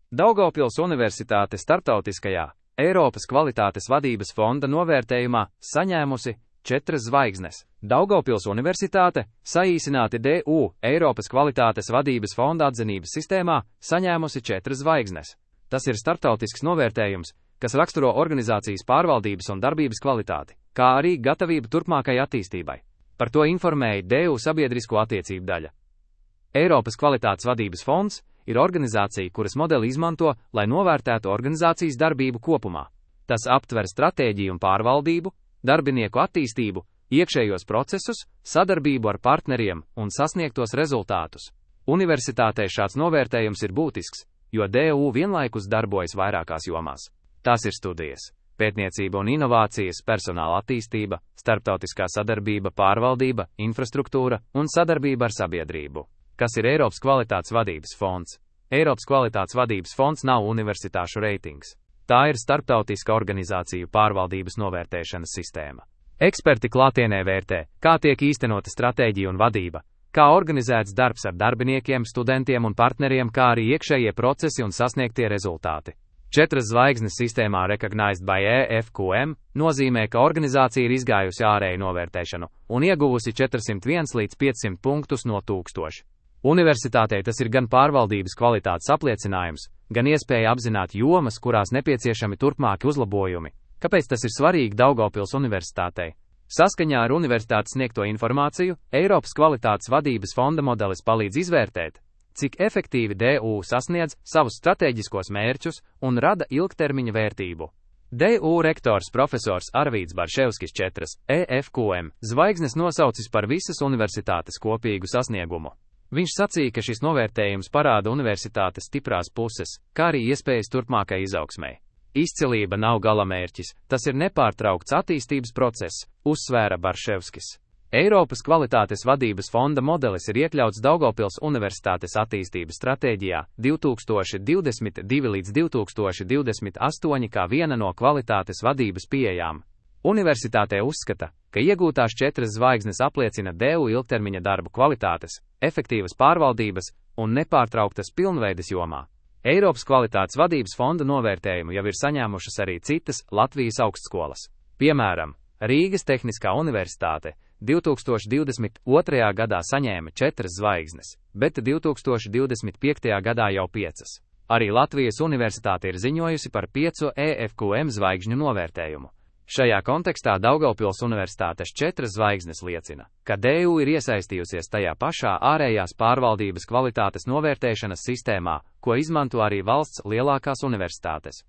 Daugavpils Universitāte starptautiskajā Eiropas kvalitātes vadības fonda novērtējumā saņēmusi 4 zvaigznes. Daugavpils Universitāte, saīsināti DU, Eiropas kvalitātes vadības fonda atzinības sistēmā, saņēmusi 4 zvaigznes. Tas ir starptautisks novērtējums, kas raksturo organizācijas pārvaldības un darbības kvalitāti, kā arī gatavību turpmākai attīstībai. Par to informēja DU sabiedrisko attiecību daļa. Eiropas kvalitātes vadības fonds ir organizācija, kuras modeli izmanto, lai novērtētu organizācijas darbību kopumā. Tas aptver stratēģiju un pārvaldību, darbinieku attīstību, iekšējos procesus, sadarbību ar partneriem un sasniegtos rezultātus. Universitātei šāds novērtējums ir būtisks, jo DU vienlaikus darbojas vairākās jomās. Tās ir studijas, pētniecība un inovācijas, personāla attīstība, starptautiskā sadarbība, pārvaldība, infrastruktūra un sadarbība ar sabiedrību. Kas ir Eiropas kvalitātes vadības fonds? Eiropas kvalitātes vadības fonds nav universitāšu reitings. Tā ir starptautiska organizāciju pārvaldības novērtēšanas sistēma. Eksperti klātienē vērtē, kā tiek īstenota stratēģija un vadība, kā organizēts darbs ar darbiniekiem, studentiem un partneriem, kā arī iekšējie procesi un sasniegtie rezultāti. 4 zvaigznes sistēmā Recognized by EFQM nozīmē, ka organizācija ir izgājusi ārēju novērtēšanu un ieguvusi 401 līdz 500 punktus no 1000. Universitātei tas ir gan pārvaldības kvalitātes apliecinājums, gan iespēja apzināt jomas, kurās nepieciešami turpmāki uzlabojumi. Kāpēc tas ir svarīgi Daugavpils Universitātei? Saskaņā ar universitātes sniegto informāciju, Eiropas kvalitātes vadības fonda modelis palīdz izvērtēt, cik efektīvi DU sasniedz savus stratēģiskos mērķus un rada ilgtermiņa vērtību. DU rektors profesors Arvīds Barševskis 4 EFQM zvaigznes nosaucis par visas universitātes kopīgu sasniegumu. Viņš sacīja, ka šis novērtējums parāda universitātes stiprās puses, kā arī iespējas turpmākai izaugsmei. Izcilība nav galamērķis, tas ir nepārtraukts attīstības process, uzsvēra Barševskis. Eiropas kvalitātes vadības fonda modelis ir iekļauts Daugavpils Universitātes attīstības stratēģijā 2022 līdz 2028 kā viena no kvalitātes vadības pieejām. Universitātē uzskata, ka iegūtās 4 zvaigznes apliecina DU ilgtermiņa darbu kvalitātes, efektīvas pārvaldības un nepārtrauktas pilnveides jomā. Eiropas kvalitātes vadības fonda novērtējumu jau ir saņēmušas arī citas Latvijas augstskolas. Piemēram, Rīgas Tehniskā universitāte 2022. gadā saņēma 4 zvaigznes, bet 2025. gadā jau 5. Arī Latvijas universitāte ir ziņojusi par 5 EFQM zvaigžņu novērtējumu. Šajā kontekstā Daugavpils Universitātes 4 zvaigznes liecina, ka DU ir iesaistījusies tajā pašā ārējās pārvaldības kvalitātes novērtēšanas sistēmā, ko izmanto arī valsts lielākās universitātes.